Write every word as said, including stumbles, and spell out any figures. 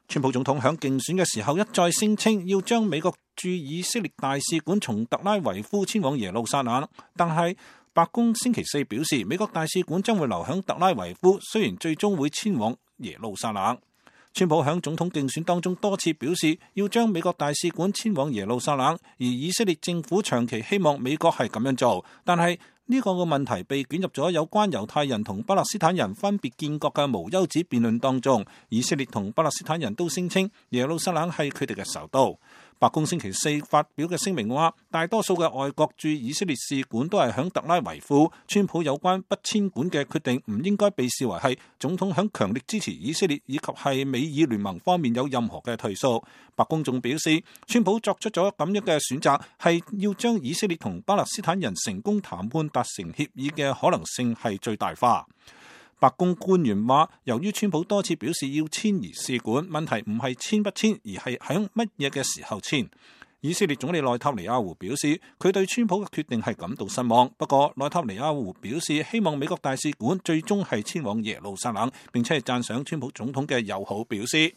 川普總統響競選嘅時候一再聲稱要將美國駐以色列大使館從特拉維夫遷往耶路撒冷，但係白宮星期四表示，美國大使館將會留響特拉維夫，雖然最終會遷往耶路撒冷。川普響總統競選當中多次表示要將美國大使館遷往耶路撒冷，而以色列政府長期希望美國係咁樣做，但係呢個嘅問題被捲入咗有關猶太人同巴勒斯坦人分別建國嘅無休止辯論當中。以色列同巴勒斯坦人都聲稱耶路撒冷係佢哋嘅首都。白宮星期四發表嘅聲明話，大多數嘅外國駐以色列使館都係響特拉維夫。川普有關不遷館嘅決定唔應該被視為係總統響強烈支持以色列以及係美以聯盟方面有任何嘅退縮。白宮仲表示，川普作出咗咁樣嘅選擇，係要將以色列同巴勒斯坦人成功談判達成協議嘅可能性係最大化。白宮官員話，由於川普多次表示要遷移使館，問題唔係遷不遷，而係響乜嘢嘅時候遷。以色列總理內塔尼亞胡表示，佢對川普嘅決定係感到失望。不過，內塔尼亞胡表示希望美國大使館最終係遷往耶路撒冷，並且係讚賞川普總統嘅友好表示。